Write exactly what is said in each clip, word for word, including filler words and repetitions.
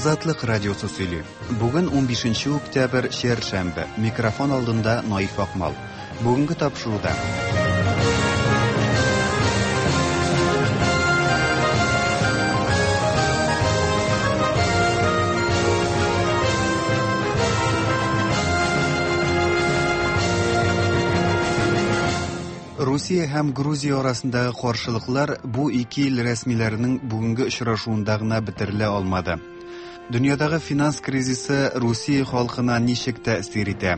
Азатлык радиосы сөйли. Бүген унбишенче октябрь, чәршәмбе. Микрофон алдында Наиф Акмал. Бүгенге тапшыруда. Русия һәм Грузия арасындагы каршылыклар бу ике ил рәсмиләренең бүгенге очрашуында гына бетерелә алмады. Дөньядагы финанс кризисы Русия халкына ничек тәэсир итә?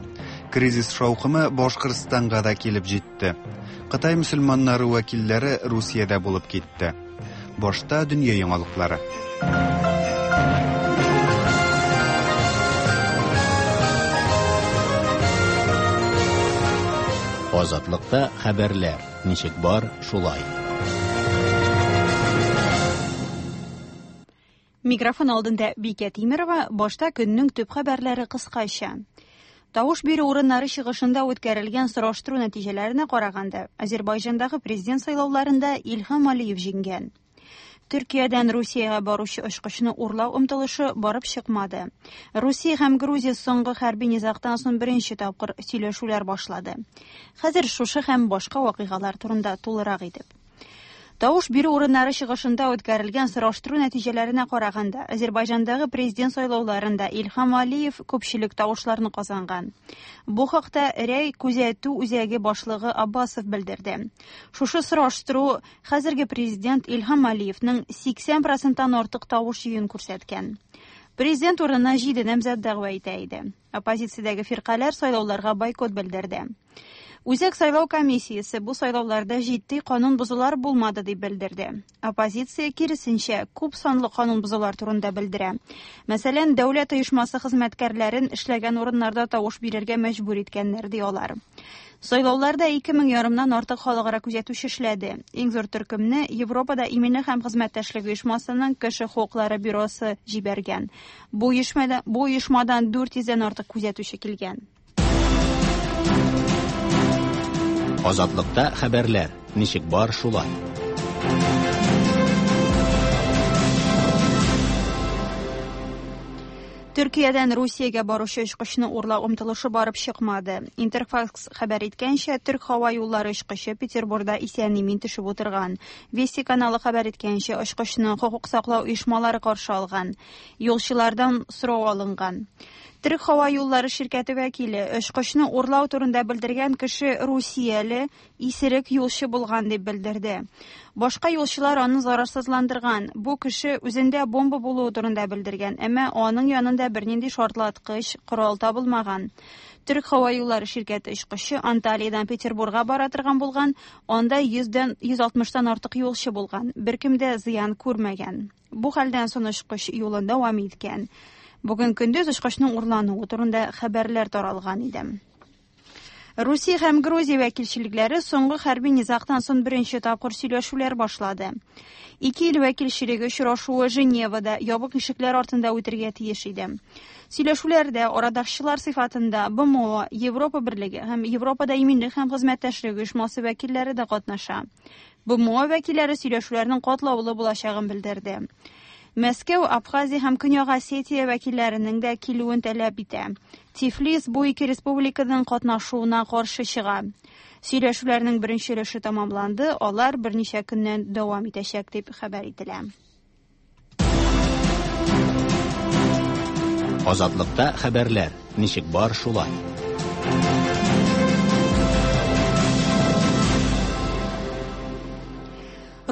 Кризис шаукымы Башкортстанга да килеп җитте. Кытай мөселманнары вәкилләре Русиядә булып китте. Башта дөнья яңалыклары. Азатлыкта хәбәрләр ничек бар, шулай. Микрофон алдында Бикә Тимерова, башта көннең төп хәбәрләре кыскача. Тавыш бирү урыннары чыгышында үткәрелгән сораштыру нәтиҗәләренә караганда, Азербайҗандагы президент сайлауларында Илһам Алиев җиңгән. Төркиядән Русиягә баручы очкычны урлау омтылышы барып чыкмады. Русия һәм Грузия соңгы хәрби низагтан соң беренче тапкыр сөйләшүләр башлады. Хәзер шушы һәм башка вакыйгалар турында тулырак итеп. Тавыш бирү урыннары чыгышында үткәрелгән сораштыру нәтиҗәләренә караганда, Азербайҗандагы президент сайлауларында Илһам Алиев күпчелек тавышларны казанган. Бу хакта Рәй күзәтү үзәге башлыгы Аббасов белдерде. Шушы сораштыру хәзерге президент Илһам Алиевның сиксән проценттан артык тавыш җыюын күрсәткән. Президент урынына җиде намзәт дәгъва итә иде. Оппозициядәге фиркаләр сайлауларга бойкот белдерде. Үзәк сайлау комиссиясе бу сайлауларда җитди канун бозулар булмады дип белдерде. Оппозиция киресенчә күп санлы канун бозулар турында белдерә. Мәсәлән, дәүләт оешмасы хезмәткәрләрен эшләгән урыннарда тавыш бирергә мәҗбүр иткәннәр ди алар. Сайлауларда ике мең ярымнан артык халыкара күзәтүче эшләде. Иң зур төркемне Европада иминлек һәм хезмәттәшлек оешмасының кеше хокуклары бюросы җибәргән. Бу оешмада, бу оешмадан дүрт йөздән артык күзәтүче килгән. Азатлыкта хәбәрләр ничек бар, шулай. Төркиядән Русиягә баручы очкычны урлау омтылышы барып чыкмады. Интерфакс хәбәр иткәнчә, Төрк һава юллары очкычы Петербургда исән-имин төшеп утырган. Вести каналы хәбәр иткәнчә, очкычны хокук саклау оешмалары каршы алган. Юлчылардан сорау алынган. Төрк һава юллары ширкәте вәкиле очкычны урлау турында белдергән кеше русияле исерек юлчы булган дип белдерде. Башка юлчылар аны зарарсызландырган. Бу кеше үзендә бомба булуы турында белдергән, әмма аның янында бернинди шартлаткыч корал табылмаган. Төрк һава юллары ширкәте очкычы Анталиядан Петербургка бара торган булган, анда йөздән йөз алтмыштан артык юлчы булган. Беркем дә зыян күрмәгән. Бу хәлдән соң очкыч юлын дәвам иткән. Бүген көндез очкычның урлануы турында хәбәрләр таралган иде. Русия һәм Грузия вәкилчелекләре соңгы хәрби низагтан соң беренче тапкыр сөйләшүләр башлады. Ике ил вәкилчелеге очрашуы Женевада ябык ишекләр артында үтергә тиеш иде. Сөйләшүләрдә арадашчылар сыйфатында Б М О, Европа Берлеге һәм Европада иминлек һәм хезмәттәшлек оешмасы вәкилләре дә катнаша. Б М О вәкилләре сөйләшүләрнең катлаулы булачагын белдерде. Мәскәү, Абхазия һәм Көньяк Осетия вәкилләренең дә килүен таләп итә. Тифлис бу ике республиканың катнашуына каршы чыга. Сөйләшүләрнең беренче өлеше тәмамланды, алар берничә көннән дәвам итәчәк дип хәбәр ителә. Азатлыкта хәбәрләр ничек бар, шулай.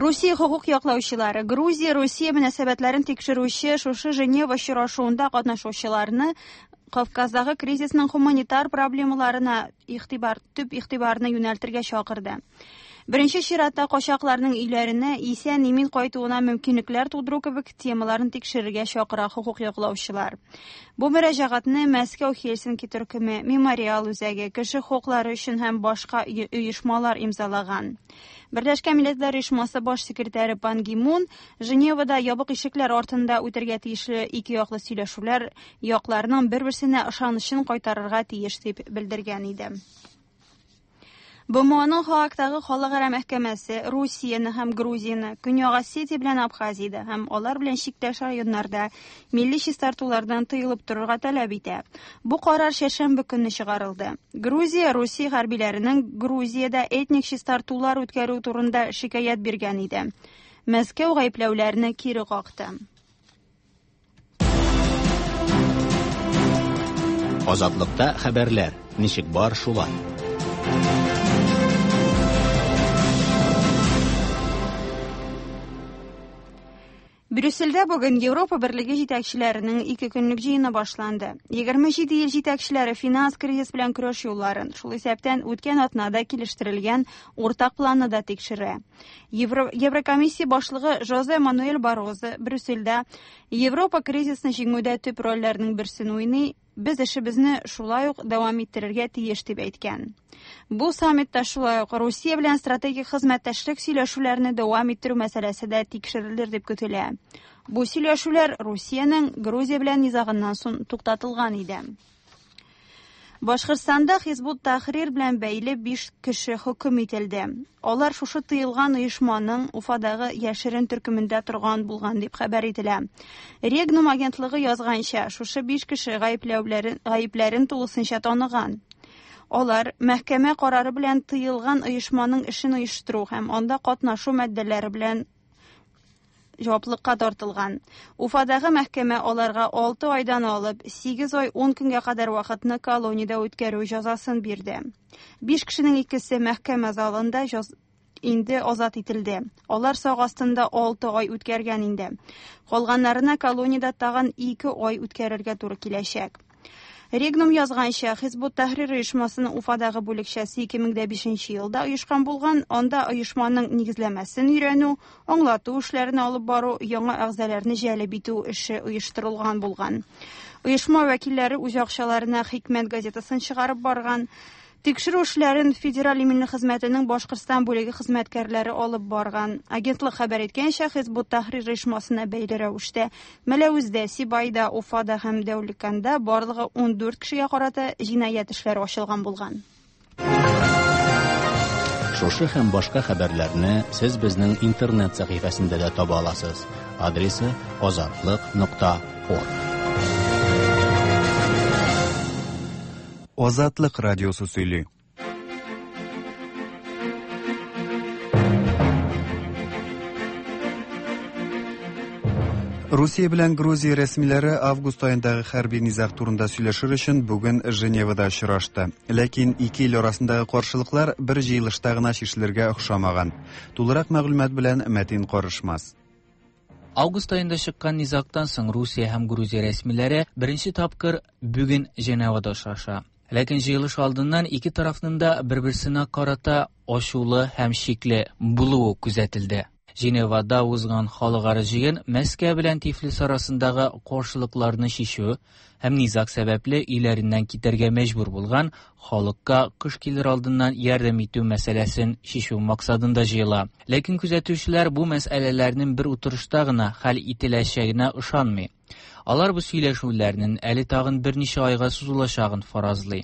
Русия хокук яклаучылары Грузия Русия мөнәсәбәтләрен тикшерүче шушы Женева очрашуында катнашучыларны Кавказдагы кризисның гуманитар проблемаларына игътибар, төп игътибарны юнәлтергә чакырды. Беренче чиратта качакларның өйләренә исән-имин кайтуына мөмкинлекләр тудыру кебек темаларын тикшерергә чакыра хокук яклаучылар. Бу мөрәҗәгатьне Мәскәү Хельсинки төркеме, Мемориал үзәге, кеше хокуклары өчен һәм башка оешмалар имзалаган. Берләшкән Милләтләр Оешмасы баш секретаре Пан Ги Мун Женевада ябык ишекләр артында үтергә тиешле ике яклы сөйләшүләр якларның бер-берсенә ышанычын кайтарырга тиеш дип белдергән иде. Б М Оның Һаагтагы халыкара мәхкәмәсе Русияне һәм Грузияне Көньяк Осетия белән Абхазиядә һәм алар белән чиктәш районнарда милли чистартулардан тыелып торырга таләп итә. Бу карар чәршәмбе көнне чыгарылды. Грузия Русия хәрбиләренең Грузиядә этник чистартулар үткәрү турында шикаять биргән иде. Мәскәү гаепләүләрне кире какты. Азатлыкта хәбәрләр, ничек бар шулай. Брюссельдә бүген Европа Берлеге җитәкчеләренең ике көнлек җыены башланды. егерме җиде ил җитәкчеләре финанс кризис белән көрәш юлларын, шул исәптән үткән атнада килештерелгән уртак планны да тикшерә. Евро, Еврокомиссия башлыгы Жозе Мануэль Баррозо Брюссельдә: "Европа кризисны җиңүдә төп рольләрнең берсен уйный, без эшебезне шулай ук дәвам иттерергә тиеш", дип әйткән. Бу саммитта шулай ук Русия белән стратегик хезмәттәшлек сөйләшүләрне дәвам иттерү мәсьәләсе дә тикшерелер дип көтелә. Бу сөйләшүләр Русиянең Грузия белән низагыннан соң туктатылган иде. Башкортстанда Хизбут Тахрир белән бәйле биш кеше хөкем ителде. Алар шушы тыелган оешманың Уфадагы яшерен төркемендә торган булган дип хәбәр ителә. Регнум агентлыгы язганча, шушы биш кеше гаепләүләрен гаепләрен тулысынча таныган. Алар мәхкәмә карары белән тыелган оешманың эшен оештыру һәм анда катнашу маддәләре белән җаваплылыкка тартылган. Уфадагы мәхкәмә аларга алты айдан алып сигез ай ун көнгә кадәр вакытны колониядә үткәрү җәзасын бирде. Биш кешенең икесе мәхкәмә залында җаз инде азат ителде. Алар сак астында алты ай үткәргән инде. Калганнарына колониядә тагын ике ай үткәрергә туры киләчәк. Регнум язганча, Хизбут Тахрир оешмасының Уфадагы бүлекчәсе ике мең дә бишенче елда оешкан булган. Анда оешманың нигезләмәсен өйрәнү, аңлату эшләрен алып бару, яңа әгъзаларны җәлеп итү эше оештырылган булган. Оешма вәкилләре үз акчаларына "Хикмәт" газетасын чыгарып барган. Тикшерү эшләрен Федераль иминлек хезмәтенең Башкортстан бүлеге хезмәткәрләре алып барган. Агентлык хәбәр иткәнчә, Хизбут Тахрир оешмасына бәйле рәвештә Мәләвездә, Сибайда, Уфада һәм Дәүләкәндә барлыгы ундүрт кешегә карата җинаять эшләре ачылган булган. Шушы һәм башка хәбәрләрне сез безнең интернет сәхифәсендә дә таба аласыз. Адресы: азатлык нокта орг. Азатлык радиосы сөйли. Русия белән Грузия рәсмиләре август аендагы хәрби низаг турында сөйләшер өчен бүген Женевада очрашты. Ләкин ике ил арасындагы каршылыклар бер җыелышта гына чишелергә охшамаган. Тулырак мәгълүмат белән Мәтин Карышмас. Август аенда чыккан низагтан соң Русия һәм Грузия рәсмиләре беренче тапкыр бүген Женевада очраша. Ләкин җыелыш алдыннан ике тарафның да бер-берсенә карата ачулы һәм шикле булуы күзәтелде. Женевада узган халыкара җыен Мәскәү белән Тифлис арасындагы каршылыкларны чишү һәм низаг сәбәпле өйләреннән китәргә мәҗбүр булган халыкка кыш килер алдыннан ярдәм итү мәсьәләсен чишү максатында җыела. Ләкин күзәтүчеләр бу мәсьәләләрнең бер утырышта гына хәл ителәчәгенә ышанмый. Алар бу сөйләшүләрнең әле тагын берничә айга сузылачагын фаразлый.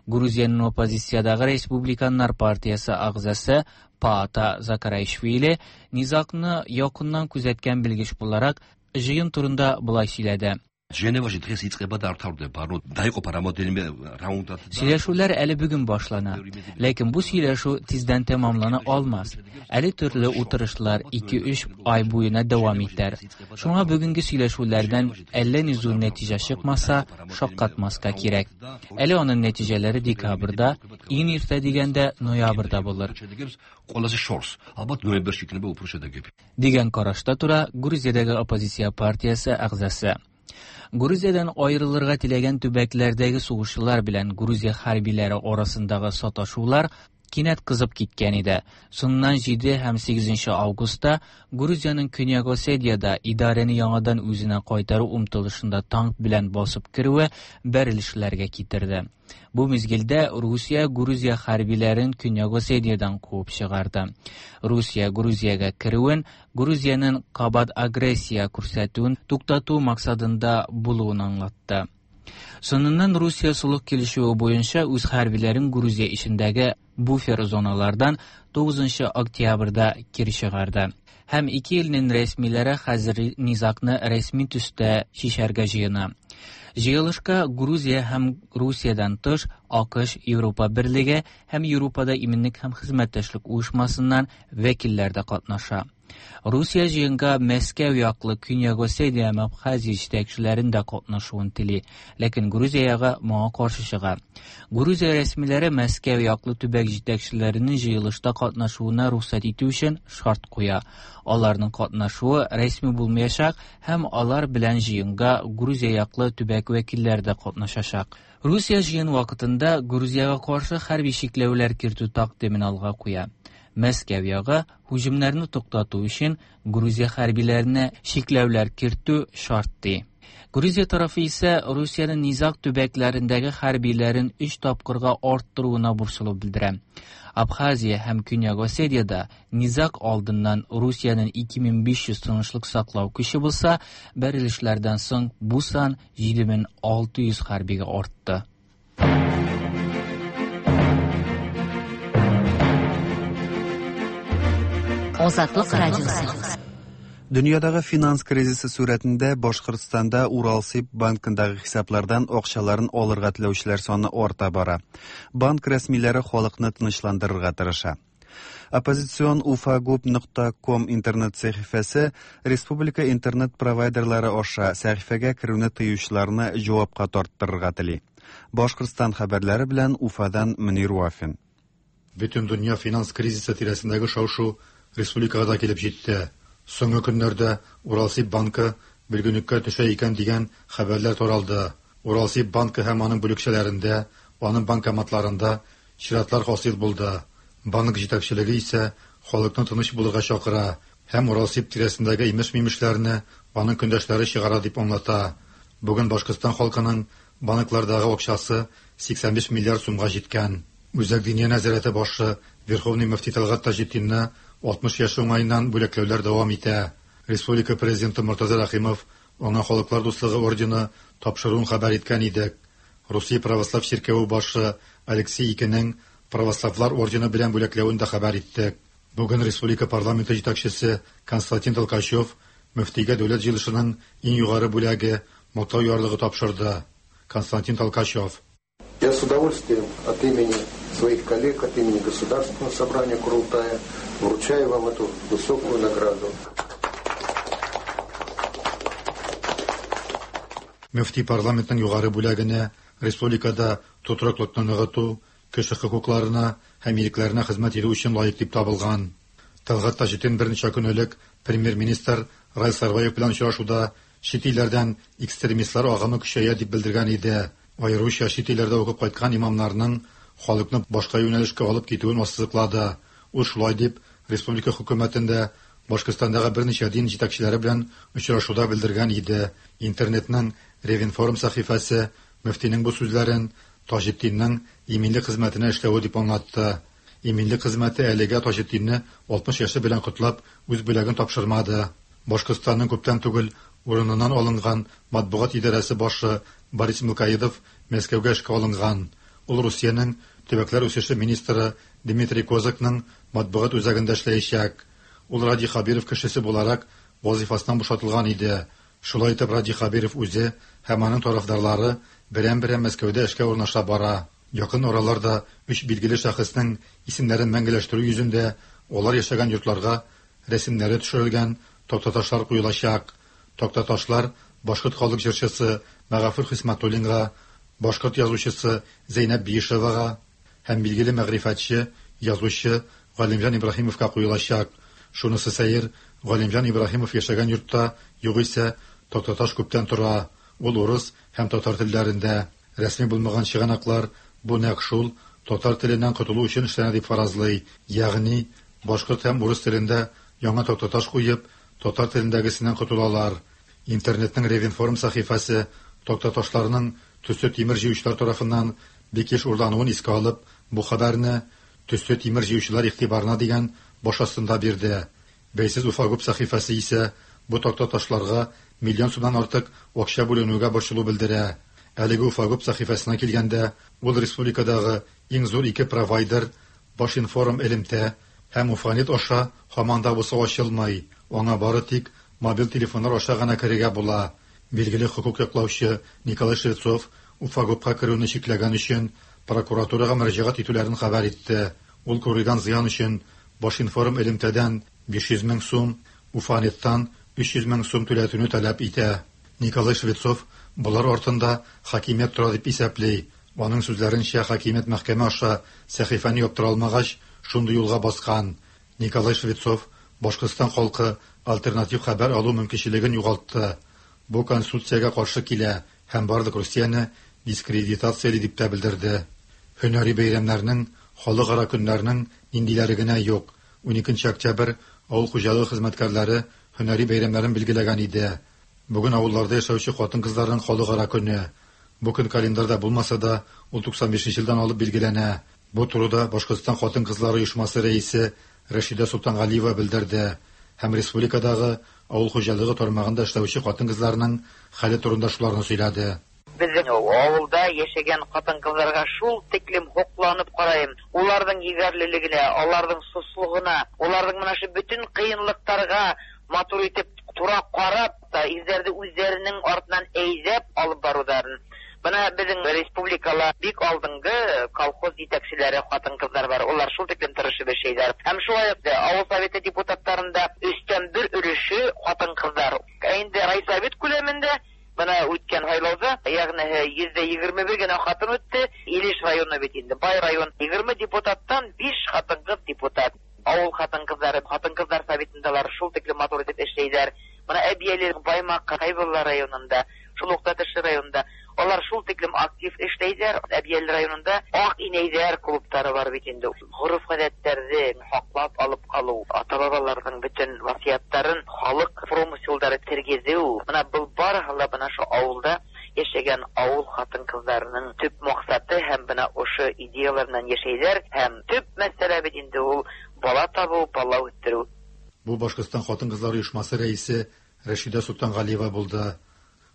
Грузиянең оппозициядәге Республиканнар партиясе әгъзасы Паата Закараишвили низагны якыннан күзәткән белгеч буларак җыен турында болай сөйләде. ჟენევაში დღეს იწყება და არ მთავრდება, ანუ დაიყოფა რამოდენიმე რაუნდად. Сөйләшүләр әле бүген башлана. Ләкин бу сөйләшү тиздән тәмамлана алмас. Әле төрле утырышлар ике-өч ай буена дәвам итәр. Шуңа бүгенге сөйләшүләрдән әллә ни зур нәтиҗә чыкмаса, шаккатмаска кирәк. Әле аның нәтиҗәләре декабрьдә, иң иртә дигәндә ноябрьдә булыр. ყველაზე შორს, ალბათ ნოემბერში იქნება უფრო შედეგები. Дигән карашта тора Грузиядәге оппозиция партиясе әгъзасы. Грузиядән аерылырга теләгән төбәкләрдәге сугышчылар белән Грузия хәрбиләре арасындагы саташулар кинәт кызып киткән иде. Соңыннан җиде һәм сигезенче августта Грузиянең Көньяк Осетиядә идарәне яңадан үзенә кайтару омтылышында танк белән басып керүе бәрелешләргә китерде. Бу мизгелдә Русия Грузия хәрбиләрен Көньяк Осетиядән куып чыгарды. Русия Грузиягә керүен Грузиянең кабат агрессия күрсәтүен туктату максатында булуын аңлатты. Соңыннан Русия солых килешүе буенча үз хәрбиләрен Грузия эчендәге буфер зоналардан тугызынчы октябрьдә кире чыгарды. Һәм ике илнең рәсмиләре хәзер низагны рәсми төстә чишәргә җыена. Җыелышка Грузия һәм Русиядән тыш АКШ, Европа Берлеге һәм Европада иминлек һәм хезмәттәшлек оешмасыннан вәкилләр дә катнаша. Русия җыенга Мәскәү яклы Көньяк Осетия һәм Абхазия җитәкчеләрен дә катнашуын тели, ләкин Грузия ягы моңа каршы чыга. Грузия рәсмиләре Мәскәү яклы төбәк җитәкчеләренең җыелышта катнашуына рөхсәт итү өчен шарт куя. Аларның катнашуы рәсми булмаячак һәм алар белән җыенга Грузия яклы төбәк вәкилләре дә катнашачак. Русия җыен вакытында Грузиягә каршы хәрби чикләүләр кертү тәкъдимен алга куя. Мәскәү ягы һөҗүмнәрне туктату өчен Грузия хәрбиләренә чикләүләр кертү шарт ди. Грузия тарафы исә Русиянең низаг төбәкләрендәге хәрбиләрен өч тапкырга арттыруына борчылу белдерә. Абхазия һәм Көньяк Осетиядә низаг алдыннан Русиянең ике мең биш йөз тынычлык саклау көче булса, бәрелешләрдән соң бу сан җиде мең алты йөз хәрбигә артты. Азатлык радиосы. Дөньядагы финанс кризисы сурәтендә Башкортстанда Уралсиб банкындагы хисаплардан акчаларын алырга теләүчеләр саны арта бара. Банк рәсмиләре халыкны тынычландырырга тырыша. Оппозицион уфагуб нокта ком интернет сәхифәсе республика интернет-провайдерлары аша сәхифәгә керүне тыючыларны җавапка тарттырырга тели. Башкортстан хәбәрләре белән Уфадан Мөнир Вафин. Бөтен дөнья финанс кризисы тирәсендәге шау-шу республикага да килеп җитте. Соңгы көннәрдә Уралсиб банкы бөлгенлеккә төшә икән дигән хәбәрләр таралды. Уралсиб банкы һәм аның бүлекчәләрендә, аның банкоматларында чиратлар хасил булды. Банк җитәкчелеге исә халыкны тыныч булырга чакыра һәм Уралсиб тирәсендәге имеш-мимешләрне аның көндәшләре чыгара дип аңлата. Бүген Башкортстан халкының банклардагы акчасы сиксән биш миллиард сумга җиткән. Үзәк Диния нәзарәте башы Верховный мөфти Тәлгать Таҗетдинны алтмыш яше уңаеннан бүләкләүләр дәвам итә. Республика президенты Мортаза Рәхимов аңа Халыклар дуслыгы ордены тапшыруын хәбәр иткән иде. Русия православ чиркәве башы Алексей Икенең православлар ордены белән бүләкләвен дә хәбәр иттек. Бүген республика парламенты җитәкчесе Константин Толкачев мөфтигә дәүләт җыелышының иң югары бүләге Мактау ярлыгы тапшырды. Константин Толкачев. Я с удовольствием от имени своих коллег, от имени Государственного собрания Курултая вручаю вам эту высокую награду. Мөфти парламентның югары бүләгенә республикада тотрыклыкны ныгыту, кеше хокукларына һәм ирекләренә хезмәт итү өчен лаек дип табылган. Тәлгать Таҗетдин берничә көн элек премьер-министр Раил Сарбаев белән очрашуда чит илләрдән экстремистлар агымы көчәя дип белдергән иде. Аеруча чит илләрдә укып кайткан имамнарның халыкны башка юнәлешкә алып китүен ассызыклады. Ул шулай дип республика хөкүмәтендә Башкортстандагы берничә дин җитәкчеләре белән очрашуда белдергән иде. Интернетның Ревинформ сәхифәсе мөфтинең бу сүзләрен Таҗетдиннең иминлек хезмәтенә эшләве дип аңлатты. Иминлек хезмәте әлегә Таҗетдинне алтмыш яше белән котлап үз бүләген тапшырмады. Башкортстанның күптән түгел урыныннан алынган матбугат идарәсе башы Борис Милкаидов Мәскәүгә эшкә алынган. Ул Русиянең төбәкләр үсеше министры Дмитрий Козакның матбугат үзәгендә эшләячәк. Ул Радий Хабиров кешесе буларак вазифасыннан бушатылган иде. Шулай итеп Радий Хабиров үзе һәм аның тарафдарлары берәм-берәм Мәскәүдә эшкә урнаша бара. Якын араларда өч билгеле шәхеснең исемнәрен мәңгеләштерү йөзендә алар яшәгән йортларга рәсемнәре төшерелгән тактаташлар куелачак. Тактаташлар башкорт халык җырчысы Мәгафур Хисмәтуллинга, башкорт язучысы Зәйнәб Биишевага һәм билгеле мәгърифәтче, язучы Галимҗан Ибраһимовка куелачак. Шунысы сәер, Галимҗан Ибраһимов яшәгән йортта югыйсә тактаташ күптән тора. Ул урыс һәм татар телләрендә. Рәсми булмаган чыганаклар бу нәкъ шул татар теленнән котылу өчен эшләнә дип фаразлый. Ягъни башкорт һәм урыс телендә яңа тактаташ куеп, татар телендәгесеннән котылалар. Интернетның Ревинформ сәхифәсе тактаташларның төсле тимер җыючылар тарафыннан бик еш урлануын искә алып, бу хәбәрне төсле тимер җыючылар игътибарына дигән баш астында бирде. Бәйсез Уфагуб сәхифәсе исә бу тактаташларга миллион сумнан артык акча бүленүгә борчылу белдерә. Әлеге Уфагуб сәхифәсенә килгәндә, ул республикадагы иң зур ике провайдер Башинформ элемтә һәм Уфанет аша һаман да булса ачылмый. Аңа бары тик мобиль телефоннар аша гына керергә була. Билгеле хокук яклаучы Николай Швецов Уфагубка керүне чикләгән өчен прокуратурага мөрәҗәгать итүләрен хәбәр итте. Ул күрелгән зыян өчен Башинформ элемтәдән биш йөз мең сум, Уфанеттан өч йөз мең сум түләтүне таләп итә. Николай Швецов болар артында хакимият тора дип исәпли. Аның сүзләренчә, хакимият мәхкәмә аша сәхифәне яптыра алмагач, шундый юлга баскан. Николай Швецов Башкортстан халкы альтернатив хәбәр алу мөмкинчелеген югалтты. Бу конституциягә каршы килә һәм барлык Русияне дискредитацияли дип тә белдерде. Һөнәри бәйрәмнәрнең, халыкара көннәрнең ниндиләре генә юк. уникенче октябрь авыл хуҗалыгы хезмәткәрләре һөнәри бәйрәмнәрен билгеләгән иде. Бүген авылларда яшәүче хатын-кызларның халыкара көне. Бу көн календарьда булмаса да, ул туксан бишенче елдан алып билгеләнә. Бу турыда Башкортстан хатын-кызлары оешмасы рәисе Рәшидә Солтангалиева белдерде һәм республикадагы авыл хуҗалыгы тармагында эшләүче хатын-кызларның хәле турында шуларны сөйләде. Безнең авылда яшәгән хатын-кызларга шул тиклем һокланып карайым. Уларның егәрлелегенә, аларның суслыгына, уларның менә шу бөтен кыенлыкларга матур итеп тура карап та изләрде үзләренең артыннан әйдәп алып баруларын. Бына безнең республикала бик алдынгы колхоз җитәкчеләре хатын-кызлар бар. Улар шул тиклем тырышып эшләйләр. Һәм шулай ук авыл советы депутатларында өстән бер өлеше хатын-кызлар. Ә инде райсовет күләмендә бына үткән һайлауда, ягъни йөздә егерме бер генә хатын үтте. Илеш районы бит инде бай район. Егерме депутаттан биш хатын-кыз депутат. Авыл хатын-кызлары, хатын-кызлар советындалар шул тиклем матур итеп эшләйләр. Бына Әбияле, Баймак, Хәйбулла районында, шул ук Тәтеш районында алар шул тиклем актив эшләйләр. Әбияле районында Ак инәйләр клублары бар бит инде. Гореф-гадәтләрне саклап алып калу, ата-бабаларның бөтен васыятларын халык промыселлары тергезү. Менә был барыһы ла бына шу авылда яшәгән авыл хатын-кызларының төп максаты һәм бына ошо идеялар менән яшәйләр. Һәм төп мәсьәлә бит инде ул бала табу, бала үстерү. Бу Башкортстан хатын-кызлар оешмасы рәисе Рәшидә Солтангалиева булды.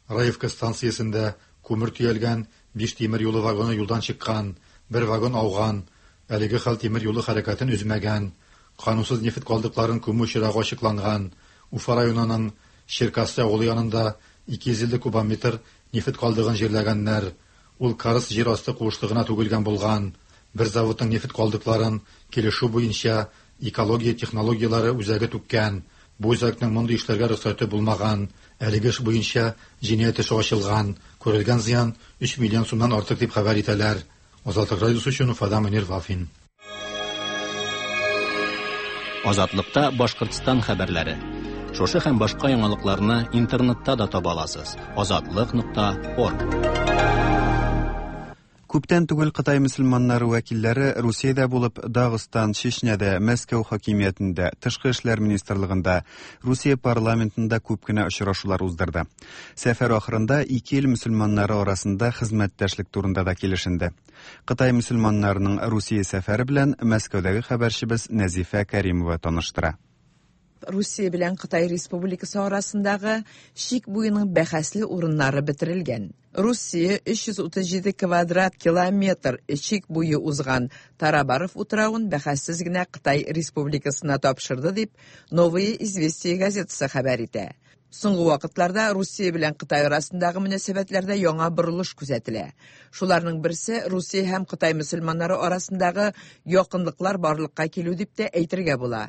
Раевка станциясендә күмер төялгән биш тимер юлы вагоны юлдан чыккан, бер вагон ауган. Әлеге хәл тимер юлы хәрәкәтен өзмәгән. Канунсыз нефть калдыкларын күмү очрагы ачыкланган. Уфа районының Черкассы авылы янында ике йөз илле кубометр нефть калдыгын җирләгәннәр. Ул Карс җир асты куышлыгына түгелгән булган. Бер заводның нефть калдыкларын килешү буенча экология технологияләре үзәге түккән. Бу үзәкнең мондый эшләргә рөхсәте булмаган. Әлеге эш буенча җинаять эше ачылган. Күрелгән зыян өч миллион сумнан артык дип хәбәр итәләр. Азатлык радиосы өчен Уфадан Мөнир Вафин. Азатлыкта Башкортстан хәбәрләре. Шушы һәм башка яңалыкларны интернетта да таба аласыз. Азатлык нокта орг. Күптән түгел Кытай мөселманнары вәкилләре Русиядә булып, Дагыстан, Чечняда, Мәскәү хакимиятендә, Тышкы эшләр министрлыгында, Русия парламентында күп кенә очрашулар уздырды. Сәфәр ахырында ике ил мөселманнары арасында хезмәттәшлек турында да килешенде. Кытай мөселманнарының Русия сәфәре белән Мәскәүдәге хәбәрчебез Нәзифә Кәримова таныштыра. Русия белән Кытай Республикасы арасындагы чик буеның бәхәсле урыннары бетерелгән. Русия өч йөз утыз җиде квадрат километр чик буе узган Тарабаров утравын бәхәссез генә Кытай Республикасына тапшырды дип Новые известия газетасы хәбәр итә. Соңгы вакытларда Русия белән Кытай арасындагы мөнәсәбәтләрдә яңа борылыш күзәтелә. Шуларның берсе Русия һәм Кытай мөселманнары арасындагы якынлыклар барлыкка килү дип тә әйтергә була.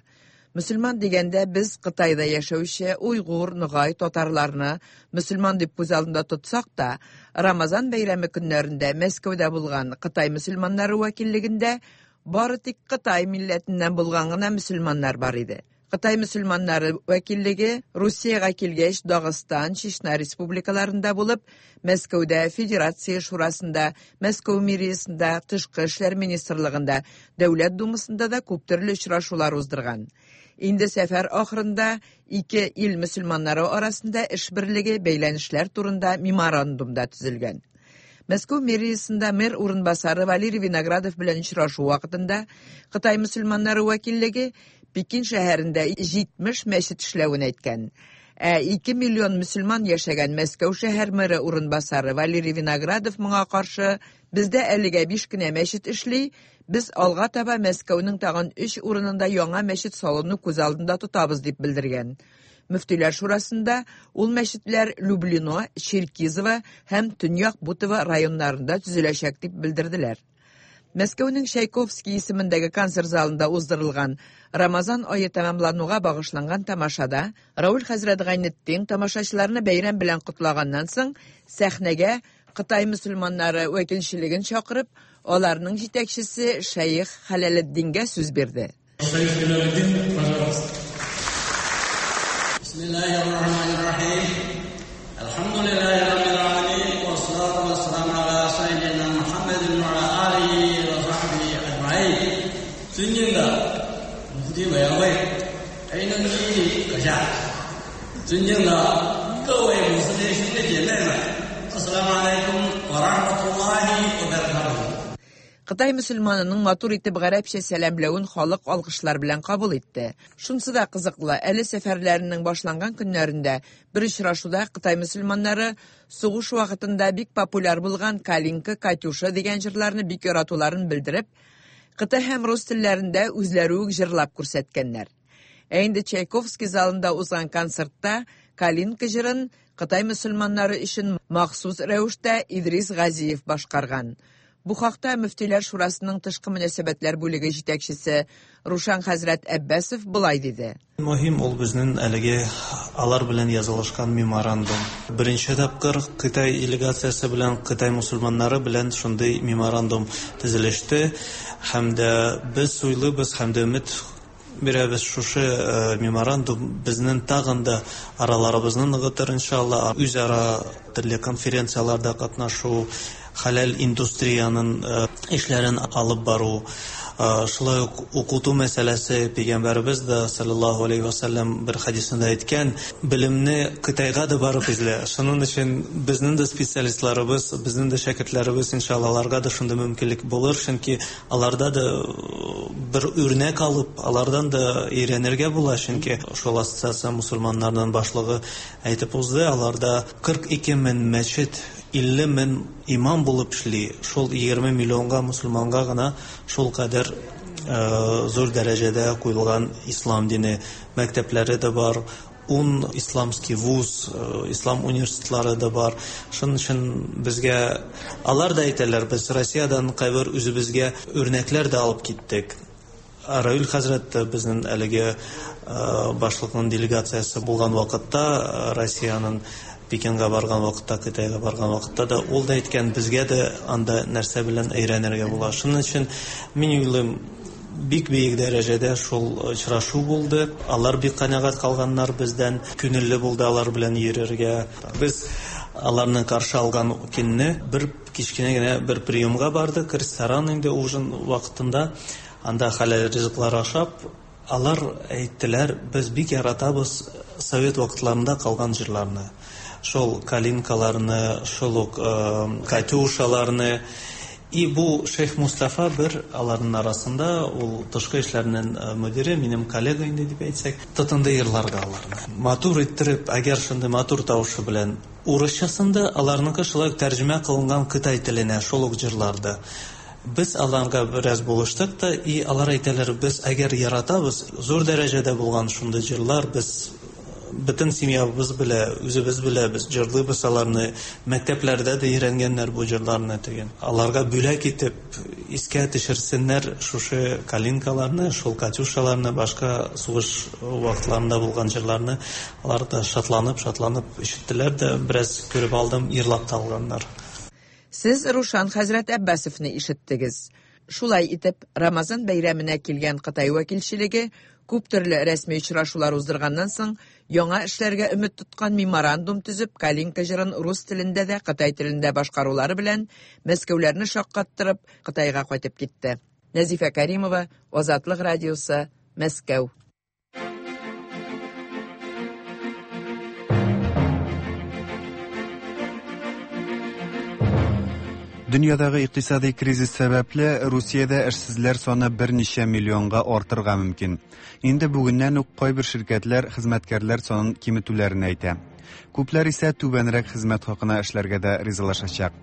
Мөселман дигәндә без Кытайда яшәүче уйгур, ногай, татарларны мөселман дип күз алдында тотсак та, Рамазан бәйрәме көннәрендә Мәскәүдә булган Кытай мөселманнары вәкиллегендә бары тик Кытай милләтеннән булган гына мөселманнар бар иде. Кытай мөселманнары вәкиллеге Русиягә килгәч Дагыстан, Чечня республикаларында булып, Мәскәүдә Федерация шурасында, Мәскәү мэриясендә, Тышкы эшләр министрлыгында, Дәүләт думасында да күп төрле очрашулар уздырган. Инде сәфәр ахырында ике ил мөселманнары арасында эш берлеге бәйләнешләр турында меморандум да төзелгән. Мәскәү мэриясендә мэр урынбасары Валерий Виноградов белән очрашу вакытында Кытай мөселманнары вәкиллеге Пекин шәһәрендә җитмеш мәчет эшләвен әйткән. Ә ике миллион мөселман яшәгән Мәскәү шәһәр мэры урынбасары Валерий Виноградов моңа каршы: "Бездә әлегә биш кенә мәчет эшли, без алга таба Мәскәүнең тагын өч урынында яңа мәчет салуны күз алдында тотабыз", дип белдергән. Мөфтиләр шурасында ул мәчетләр Люблино, Черкизово һәм Төньяк Бутово районнарында төзеләчәк дип белдерделәр. Мәскәүнең Чайковский исемендәге концерт залында уздырылган Рамазан ае тәмамлануга багышланган тамашада Рауль хәзрәт Гайнетдин тамашачыларны бәйрәм белән котлаганнан соң сәхнәгә Кытай мөселманнары вәкилчелеген чакырып, аларның җитәкчесе Шәех Хәләлетдингә сүз бирде. Шәех Хәләлетдин, пожалуйста. Бисмиллахир-рахманир-рахим. Әлхәмдүлилләһи раббил аламин, вассалату вассаламу аля саййидина Мухаммадин ва аля алихи ва сахбихи аджмаин. 尊敬的穆斯林委员会黑能基阁下，尊敬的各位穆斯林兄弟姐妹们，ассаламу алейкум ва рахматуллахи ва баракатуһу. Кытай мөселманының матур итеп гарәпчә сәламләвен халык алкышлар белән кабул итте. Шунсы да кызыклы, әле сәфәрләренең башланган көннәрендә бер очрашуда Кытай мөселманнары сугыш вакытында бик популяр булган Калинка, Катюша дигән җырларны бик яратуларын белдереп, Кытай һәм рус телләрендә үзләре үк җырлап күрсәткәннәр. Ә инде Чайковский залында узган концертта Калинка җырын Кытай мөселманнары өчен махсус рәвештә Идрис Газиев башкарган. Бу хакта Мөфтиләр шурасының тышкы мөнәсәбәтләр бүлеге җитәкчесе Рушан хәзрәт Әббәсов болай диде. Мөһим ул безнең әлеге алар белән язылышкан меморандум. Беренче тапкыр Кытай делегациясе белән Кытай мусульманнары белән шундый меморандум төзелеште. Һәм дә без уйлыйбыз, һәм дә өмет бирәбез, шушы меморандум безнең тагын да араларыбызны ныгытыр иншалла. Үзара төрле конференцияләрдә катнашу, хәләл индустриянын эшләрен алып бару, шулай ук укыту мәсьәләсе. Пәйгамбәребез дә саллаллаһу алейһи ва саллям бер хәдисендә әйткән, белемне Кытайга да барып эзлә. Шуның өчен безнең дә специалистларыбыз, безнең дә шәкертләребез иншалла аларга да шундый мөмкинлек булыр, чөнки аларда да бер үрнәк алып, алардан да өйрәнергә була, чөнки шул ассоциация мусульманнарның башлыгы әйтеп узды, аларда кырык ике мең мәчет, илле мең имам булып эшли. Шул егерме миллионга мусульманга гына шул кадәр зур дәрәҗәдә куелган ислам дине мәктәпләре дә бар, ун исламский вуз, ислам университетлары да бар. Шуның өчен безгә алар да әйтәләр, без Россиядән кайбер үзебезгә үрнәкләр дә алып киттек. Раил хәзрәт безнең әлеге башлыкның делегациясе булган вакытта, Россиянең Пекинга барган вакытта, Кытайга барган вакытта да ул да әйткән, безгә дә анда нәрсә белән өйрәнергә була. Шуның өчен мин уйлыйм, бик бөек дәрәҗәдә шул очрашу булды. Алар бик канәгать калганнар бездән, күңелле булды алар белән йөрергә. Без аларны каршы алган көнне бер кечкенә генә бер приемга бардык, ресторан инде ужин вакытында. Анда хәләл ризыклар ашап, алар әйттеләр, без бик яратабыз совет вакытларында калган җырларны. Шул калинкаларны, шул ук катюшаларны. И бу Шейх Мустафа бер аларның арасында, ул тышкы эшләрнең мөдире, минем коллега инде дип әйтсәк, тотынды йырларга аларны. Матур иттереп, әгәр шундый матур тавышы белән урысчасында аларныкы шулай ук тәрҗемә кылынган кытай теленә шул ук җырларды. Без аларга бераз булыштык та, и алар әйтәләр, без әгәр яратабыз, зур дәрәҗәдә булган шундый җырлар, без бөтен семьябыз белә, үзебез белә, без җырлыйбыз аларны, мәктәпләрдә дә өйрәнгәннәр бу җырларны дигән. Аларга бүләк итеп искә төшерсеннәр шушы калинкаларны, шул катюшаларны, башка сугыш вакытларында булган җырларны. Алар да шатланып, шатланып ишеттеләр дә, бераз күреп алдым, йырлап та алганнар. Сез Рушан хәзрәт Әббәсовны ишеттегез. Шулай итеп, Рамазан бәйрәменә килгән Кытай вәкилчелеге күп төрле рәсми очрашулар уздырганнан соң, яңа эшләргә өмет тоткан меморандум төзеп, Калинка җырын рус телендә дә, кытай телендә башкарулары белән Мәскәүләрне шаккаттырып, Кытайга кайтып китте. Нәзифә Каримова, Азатлык радиосы, Мәскәү. Дөньядагы икътисади кризис сәбәпле Русиядә эшсезләр саны берничә миллионга артырга мөмкин. Инде бүгеннән үк кайбер ширкәтләр хезмәткәрләр санын киметүләрен әйтә. Күпләр исә түбәнрәк хезмәт хакына эшләргә дә ризалашачак.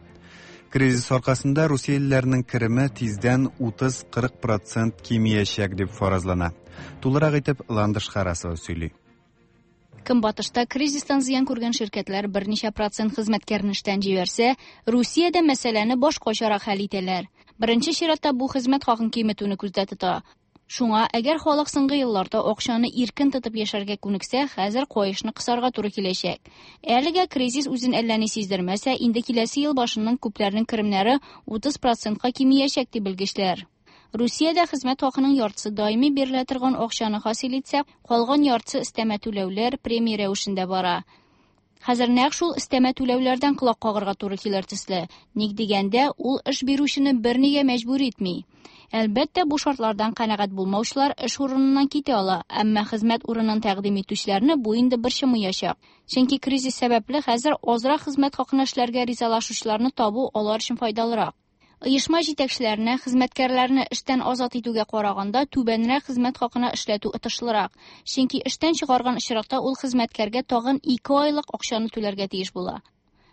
Кризис аркасында русиялеләрнең кереме тиздән утыз-кырык процент кимиячәк дип фаразлана. Тулырак итеп Ландыш Харасова сөйли. Көнбатышта кризистан зыян күргән ширкәтләр берничә процент хезмәткәрне эштән җибәрсә, Русиядә мәсьәләне башкачарак хәл итәләр. Беренче чиратта бу хезмәт хакын киметүне күздә тота. Шуңа, әгәр халык соңгы елларда акчаны иркен тотып яшәргә күнексә, хәзер каешны кысарга туры киләчәк. Әлегә кризис үзен әллә ни сиздермәсә, инде киләсе ел башыннан күпләрнең керемнәре утыз процентка кимиячәк дип белгечләр. Русиядә хезмәт хакының яртысы даими бирелә торган акчаны хасил итсә, калган яртысы өстәмә түләүләр премия рәвешендә бара. Хәзер нәкъ шул өстәмә түләүләрдән колак кагарга туры килер төсле. Ник дигәндә, ул эш бирүчене бернигә мәҗбүр итми. Әлбәттә, бу шартлардан канәгать булмаучылар эш урыныннан китә ала, әмма хезмәт урынын тәкъдим итүчеләрне бу инде борчымаячак. Чөнки кризис сәбәпле хәзер азрак хезмәт хакына эшләргә ризалашучыларны табу алар өчен файдалырак. Оешма җитәкчеләренә хезмәткәрләрне эштән азат итүгә караганда түбәнрәк хезмәт хакына эшләтү отышлырак. Чөнки эштән чыгарган очракта ул хезмәткәргә тагын ике айлык акчаны түләргә тиеш була.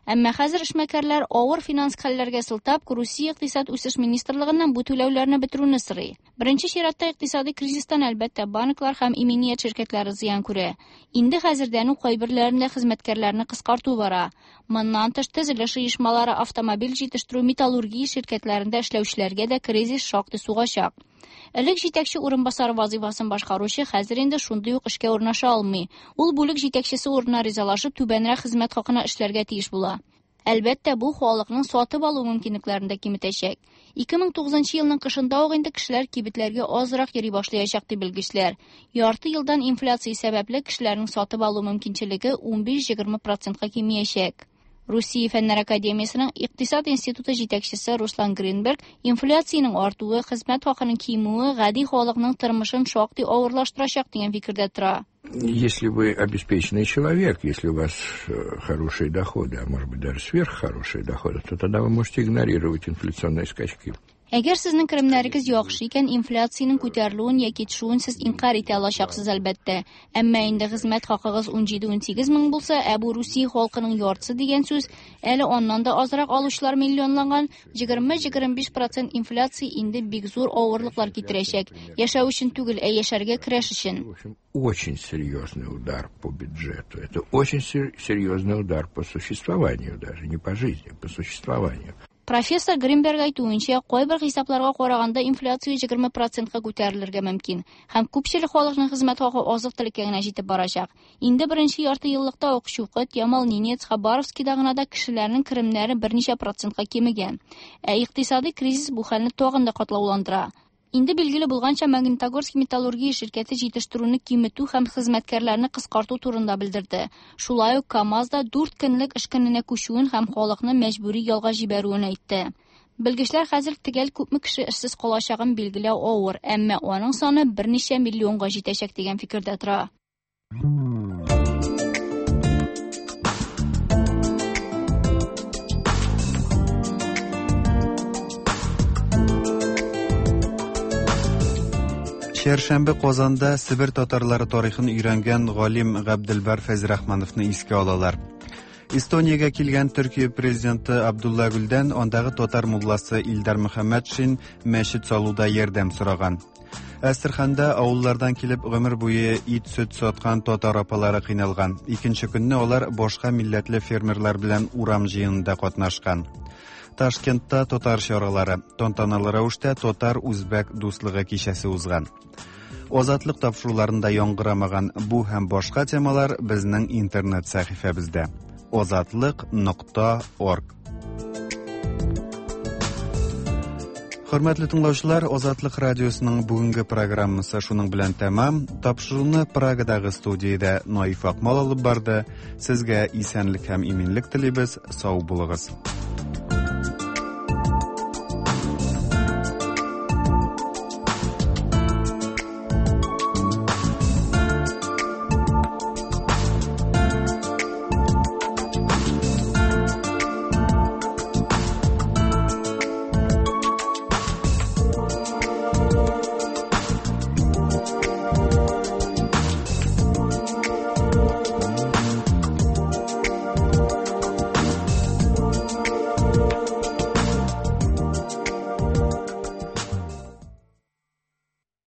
Әмма хәзер эшмәкәрләр авыр финанс хәлләргә сылтап, Русия икътисад үсеш министрлыгыннан бу түләүләрне бетерүне сорый. Беренче чиратта икътисади кризистан әлбәттә банклар һәм иминият ширкәтләре зыян күрә. Инде хәзердән үк кайберләрендә хезмәткәрләрне кыскарту бара. Моннан тыш төзелеш оешмалары, автомобиль җитештерү, металлургия ширкәтләрендә эшләүчеләргә дә кризис шактый сугачак. Элек җитәкче урынбасары вазифасын башкаручы хәзер инде шундый ук эшкә урнаша алмый. Ул бүлек җитәкчесе урынына ризалашып, түбәнрәк хезмәт хакына эшләргә тиеш була. Әлбәттә, бу халыкның сатып алу мөмкинлекләрен дә киметәчәк. ике мең тугызынчы елның кышында ук инде кешеләр кибетләргә азрак йөри башлаячак дип белгечләр. Ярты елдан инфляция сәбәпле кешеләрнең сатып алу мөмкинчелеге унбиш-егерме процентка кимиячәк. Русия Фәннәр Академиясының Икътисад институты җитәкчесе Руслан Гринберг инфляциянең артуы, хезмәт хакының кимүе гади халыкның тормышын шактый авырлаштырачак дигән фикердә тора. Если вы обеспеченный человек, если у вас хорошие доходы, а может быть даже сверххорошие доходы, то тогда вы можете игнорировать инфляционные скачки. Әгәр сезнең керемнәрегез яхшы икән, инфляциянең күтәрелүен яки төшүен сез инкар итә алачаксыз әлбәттә. Әмма инде хезмәт хакыгыз унҗиде-унсигез мең булса, ә бу Русия халкының яртысы дигән сүз, әле аннан да азрак алучылар миллионланган, егерме-егерме биш процент инфляция инде бик зур авырлыклар китерәчәк. Яшәү өчен түгел, ә яшәргә көрәш өчен. Очень серьезный удар по бюджету. Это очень серьезный удар по существованию даже, не по жизни, по существованию. Профессор Гринберг әйтүенчә, кайбер хисапларга караганда инфляция егерме процентка күтәрелергә мөмкин һәм күпчелек халыкның хезмәт хакы азык-төлеккә генә җитеп барачак. Инде беренче ярты еллыкта ук Чукот, Ямал-Ненец, Хабаровскида гына да кешеләрнең керемнәре берничә процентка кимегән. Ә икътисади кризис бу хәлне тагын да катлауландыра. Инде билгеле булганча, Магнитогорск металлургия ширкәте җитештерүне киметү һәм хезмәткәрләрне кыскарту турында белдерде. Шулай ук КАМАЗ да дүрт көнлек эш көненә күчүен һәм халыкны мәҗбүри ялга җибәрүен әйтте. Белгечләр хәзер төгәл күпме кеше эшсез калачагын билгеләү авыр, әмма аның саны берничә миллионга җитәчәк дигән фикердә тора. Чәршәмбе Казанда Себер татарлары тарихын өйрәнгән галим Габделбар Фәйзрахмановны искә алалар. Эстониягә килгән Төркия президенты Абдулла Гүлдән андагы татар мулласы Илдар Мөхәммәтшин мәчет салуда ярдәм сораган. Әстерханда авыллардан килеп гомер буе ит-сөт саткан татар апалары кыйналган. Икенче көнне алар башка милләтле фермерлар белән урам җыенында катнашкан. Ташкентта татар чаралары, тантаналы рәвештә татар-үзбәк дуслыгы кичәсе узган. Азатлык тапшыруларында яңгырамаган бу һәм башка темалар безнең интернет сәхифәбездә. азатлык нокта орг. Хөрмәтле тыңлаучылар, Азатлык радиосының бүгенге программасы шуның белән тәмам. Тапшыруны Прагадагы студиядә Наиф Акмал алып барды. Сезгә исәнлек һәм иминлек телибез. Сау булыгыз.